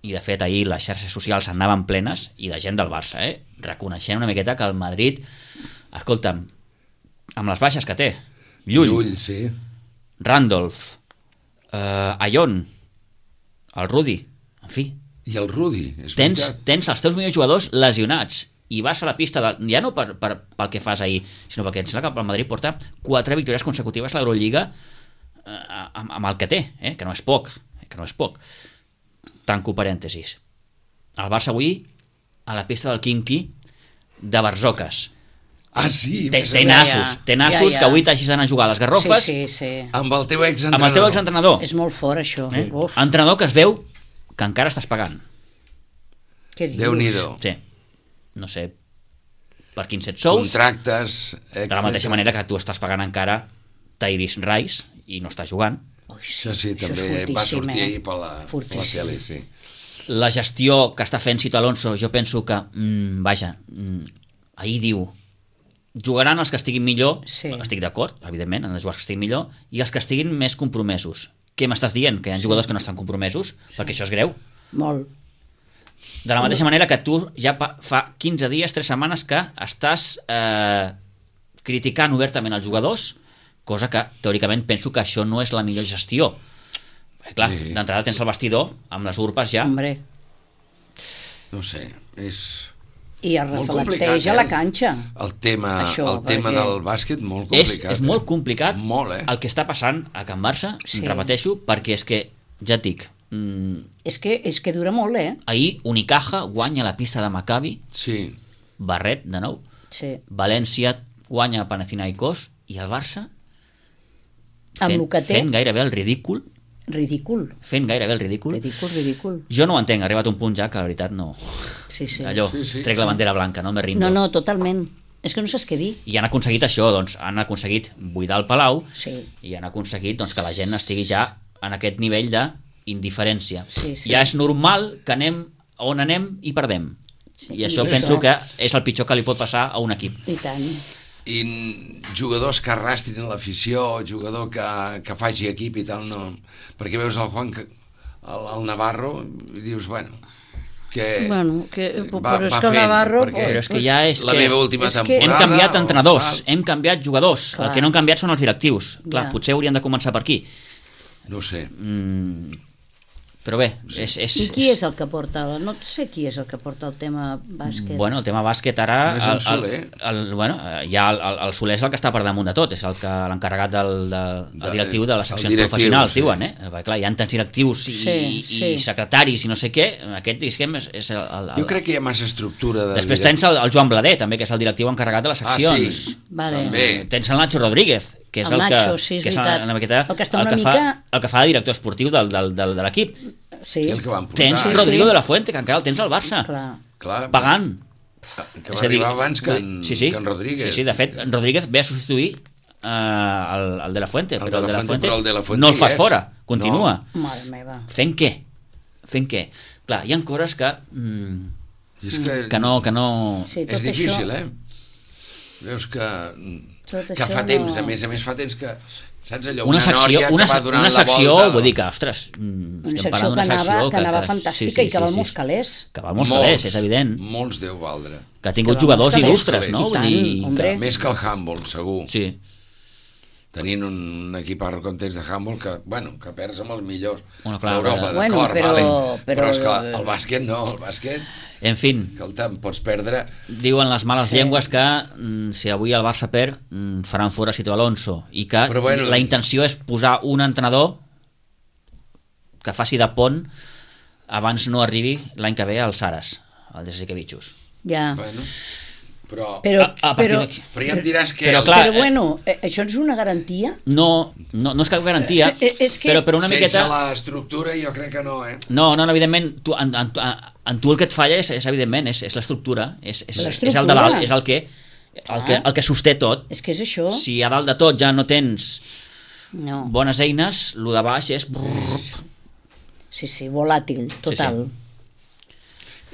i de fet ahir les xarxes socials anaven plenes, i de gent del Barça, eh? Reconeixent una miqueta que el Madrid, escolta'm, amb les baixes que té, Llull, Llull, sí. Randolph, eh, Ayón, el Rudi, en fi, I el Rudi, és tens, veritat. tens els teus millors jugadors lesionats i vas a la pista, de, ja no per, per, pel que fas ahir, sinó perquè em sembla que el Madrid porta quatre victòries consecutives a l'Eurolliga eh, amb, amb el que té, eh, que no és poc, eh, que no és poc. Tanco parèntesis. El Barça avui a la pista del Quinqui de Barzoques. Ah, sí, Té, més a té més. nassos, té nassos Ja, ja. que avui t'hagis d'anar a jugar a les Garrofes Sí, sí, sí. Amb el teu exentrenador. amb el teu exentrenador. És molt fort, això. Eh? Uf, Entrenador que es veu que encara estàs pagant. què dius? Déu-n'hi-do. Sí. No sé per quins et sous. Contractes, De la mateixa manera que tu estàs pagant encara Tyrese Rice i no està jugant. Ui, Això sí, això és també va fortíssim, sortir eh? ahir per la, per la Fortíssim. tele, sí. La gestió que està fent Cito Alonso, jo penso que, mm, vaja, mm, ahir diu, jugaran els que estiguin millor, Sí. estic d'acord, evidentment, han de jugar els que estiguin millor, i els que estiguin més compromesos. Què m'estàs dient? Que hi ha jugadors que no estan compromesos? Perquè això és greu. Molt. De la mateixa manera que tu ja pa- fa quinze dies, tres setmanes que estàs eh, criticant obertament els jugadors, cosa que teòricament penso que això no és la millor gestió. Perquè, clar, Sí. d'entrada tens el vestidor amb les urpes ja. Hombre, No sé, és... i es Molt reflecteix complicat, a la eh? canxa. El tema, Això, el tema perquè- del bàsquet molt És, complicat. és molt eh? complicat Molt, eh? el que està passant a Can Barça, Sí. sí. repeteixo, perquè és que, ja et dic, mm, És que, és que dura molt, eh? ahir Unicaja guanya la pista de Maccabi, Sí. Barret, de nou, Sí. València guanya Panathinaikos, i el Barça Amb fent, el que té, fent gairebé el ridícul, ridícul. fent gairebé el ridícul. Ridícul, ridícul. Jo no ho entenc, ha arribat un punt ja que la veritat no... Sí, sí. Allò, Sí, sí. trec la bandera blanca, no me rindo. No, no, totalment. És que no saps què dir. I han aconseguit això, doncs han aconseguit buidar el Palau Sí. i han aconseguit doncs, que la gent estigui ja en aquest nivell d'indiferència. Sí, sí. Ja és normal que anem on anem i perdem. Sí. I això I penso això- que és el pitjor que li pot passar a un equip. I tant. I n- jugadors que arrastrin l'afició, jugador que, que faci equip i tal, no... Perquè veus el Juan, que- el, el Navarro, i dius, bueno, que... Bueno, que, va- però és va que el fent, Navarro... perquè Però és que ja és la que... meva última és que- temporada... Hem canviat o entrenadors, tal, hem canviat jugadors. Clar. El que no han canviat són els directius. Clar, Ja. potser hauríem de començar per aquí. No ho sé. Mm, però bé, és... és I qui és el que porta... la- No sé qui és el que porta el tema bàsquet. Bueno, el tema bàsquet ara... No és en el, Soler? el, el, bueno, eh, ja el, el, el Soler és el que està per damunt de tot, és el que l'encarregat del, de, De- el directiu de les el seccions directiu, professionals, sí. diuen, eh? Perquè, clar, hi ha tants directius i, Sí, i, sí. i secretaris i no sé què, aquest, diguem, és, és el, el, el... Jo crec que hi ha massa estructura de... Després direct- tens el, el Joan Blader, també, que és el directiu encarregat de les Ah, seccions. sí. Vale. També. Tens el Nacho Rodríguez, que és El el, Nacho, que, sí, és que és veritat. una miqueta, El que està el, una que fa, mica- el que fa de director esportiu del, del, del, de l'equip. Sí, I el que van portar. Tens Sí, sí. Rodrigo de la Fuente, que encara el tens al Barça, clar. Clar, pagant. que va arribar abans que en, sí, sí. que en Rodríguez. Sí, sí, de fet, en Rodríguez ve a substituir uh, el, el de la Fuente, El però de el de la la Fuente, Fuente, però el de la Fuente no el hi fas és. fora, continua. No. Mare meva. Fent què? Fent què? Clar, hi ha coses que, mm, I és que, que, no, que no... Sí, tot és difícil, això, eh? Veus que, Tot que això fa temps, no- a més a més fa temps que... Saps allò? Una secció, nòria una, que va donant una la secció volta. vull dir que, ostres, mm, Una estem secció parlant que d'una anava, secció que anava fantàstica i que val molts calés. Que val molts calés, és evident. Molts deu valdre. Que ha tingut Que val jugadors molts calés. il·lustres, no? I Vull tant, dir hombre. que... Més que el handball, segur. Sí. tenint un equip ara context de handball que, bueno, que perds amb els millors Bueno, clar, d'Europa, però- Bueno, d'acord, però- vale. però- però és que el bàsquet no, el bàsquet, En fin, escolta'm, pots perdre... diuen les males sí. llengües que mm, si avui el Barça perd mm, faran fora Sito Alonso i que Però bueno, la intenció és posar un entrenador que faci de pont abans no arribi l'any que ve al Saras, al Jasikevičius. Ja. Bueno, però, Però, a, a partir però, d'aquí. però ja em diràs que... Però el- clar, però bueno, eh, això és una garantia? No, no, no és cap garantia, Eh, eh, és que- però, però una sense miqueta... l'estructura jo crec que no, eh? No, no, no, evidentment, tu, en, en, en tu el que et falla és, és evidentment, és, és l'estructura, és, és, és el de dalt, és el que, el que, el que sosté tot. És que és això. Si a dalt de tot ja no tens No. bones eines, el de baix és... Sí, sí, volàtil, total.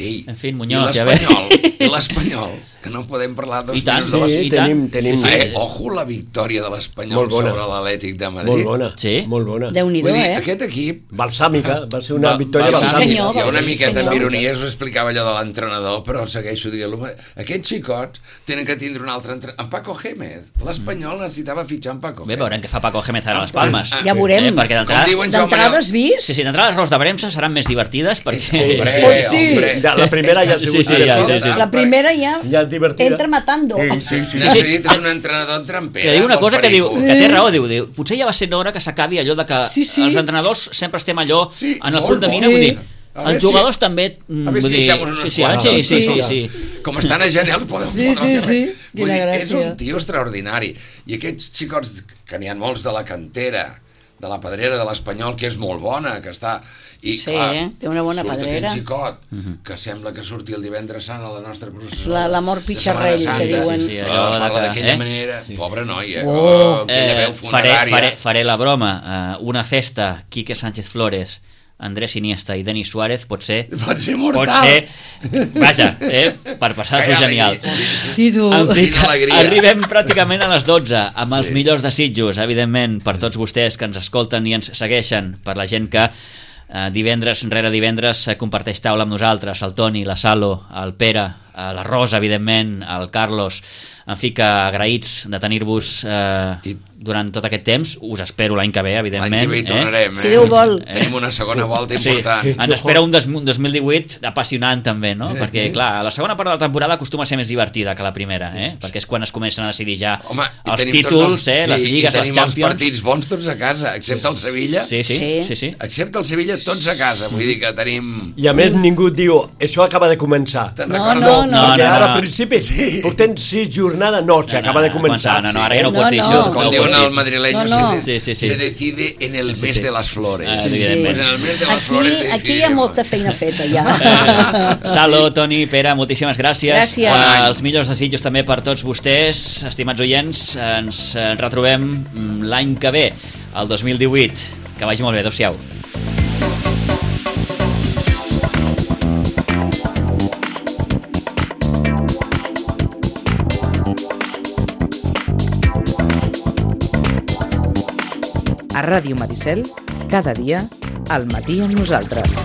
Ei, En fi, Muñoz, i ja l'Espanyol, i l'Espanyol, que no podem parlar dos I tant, minuts de Sí, i tenim, tant. tenim... Sí, sí. Eh, ojo la victòria de l'Espanyol Molt bona. sobre l'Atlètic de Madrid. Molt bona, Sí. molt bona. Déu-n'hi-do, Vull dir, eh? aquest equip, Balsàmica, va ser una Va- victòria balsàmica. balsàmica. senyor, hi ha una sí, miqueta senyor. amb ironia, us explicava allò de l'entrenador, però segueixo dient-lo. Aquests xicots tenen que tindre un altre entrenador. En Paco Gémez. L'Espanyol necessitava fitxar en Paco Bé, Gémez. veurem què fa Paco Gémez ara a les Ah, Palmes. ah, Ja veurem. Eh, perquè Com d'entrada... diuen Joan D'entrada Manel... has vist? Sí, sí, d'entrada les Ros de Bremsa seran més divertides perquè... Sí, hombre, Pues sí. hombre. Ja, la primera ja ha Sí, sigut sí, ja, sí, sí. La primera ja, Ja és divertida. entra matando. Sí, sí, sí. Necessites un entrenador trampera. Que diu una pels cosa que diu, pericos. que té raó, diu, diu, potser ja va ser hora que s'acabi allò de que Sí, sí. els entrenadors sempre estem allò Sí, en el molt punt de bo. mira, Sí. vull dir, A veure els si- jugadors també... mm, A veure vull si dir, echamos unos sí, sí, quants. sí, sí, sí, Sí. sí. Com estan a Genial podem Sí, sí, sí. Vull Quina dir, és gràcia. un tio extraordinari. I aquests xicots, que n'hi ha molts de la cantera, de la pedrera de l'Espanyol, que és molt bona, que està... I, Sí, clar, té una bona surt pedrera. aquell xicot, que sembla que surti el divendres sant a la nostra processó. La- l'amor de pitxarrell, Setmana que Santa. diuen. Sí, sí, Oh, allò es de parla que- d'aquella eh? manera. Pobre noia. Oh. Oh, aquella veu Eh, faré, funerària. faré, faré la broma. Uh, una festa, Quique Sánchez Flores, Andrés Iniesta i Denis Suárez pot ser... Pot ser Pot mortal. ser... Vaja, eh, per passar-s'ho Que genial. alegria. Sí, sí. Hosti, tu. En fi, Quina alegria. arribem pràcticament a les dotze amb els Sí. millors desitjos, evidentment, per tots vostès que ens escolten i ens segueixen, per la gent que eh, divendres rere divendres eh, comparteix taula amb nosaltres, el Toni, la Salo, el Pere, eh, la Rosa, evidentment, el Carlos, en fi, que agraïts de tenir-vos eh, I- durant tot aquest temps. Us espero l'any que ve, evidentment. L'any que ve hi tornarem, eh? Si Déu vol. Tenim una segona volta Sí, important. ens espera un dos- un dos mil divuit apassionant també, no? Perquè, clar, la segona part de la temporada acostuma a ser més divertida que la primera, eh? Perquè és quan es comencen a decidir ja Home, i els tenim títols, tots els, eh? Les sí, lligues, i les tenim Champions. els partits bons tots a casa, excepte el Sevilla. Sí, sí, sí, Sí. sí. Excepte el Sevilla, tots a casa. Vull dir que tenim... I a més ningú diu, això acaba de començar. Te'n No, recordes? no, no. Perquè no, ara no. al principi sí. portem sis jornades, no, se acaba de començar. No, no, ara ja no ho No, pots dir, no. això. Com no ho diuen pots dir. el madrileño, No, no. Se, de- Sí, sí, sí. se decide en el mes sí. de las flores. Ah, Sí, sí. evidentment. Pues en el mes de las flores Aquí, aquí hi ha decidiremos. molta feina feta, ja. Salo, Toni, Pere, moltíssimes gràcies. Gràcies. Eh, Bon any. els millors desitjos també per tots vostès, estimats oients. Ens eh, retrobem mm, l'any que ve, el dos mil divuit. Que vagi molt bé, adeu-siau. A Ràdio Maricel, cada dia, al matí amb nosaltres.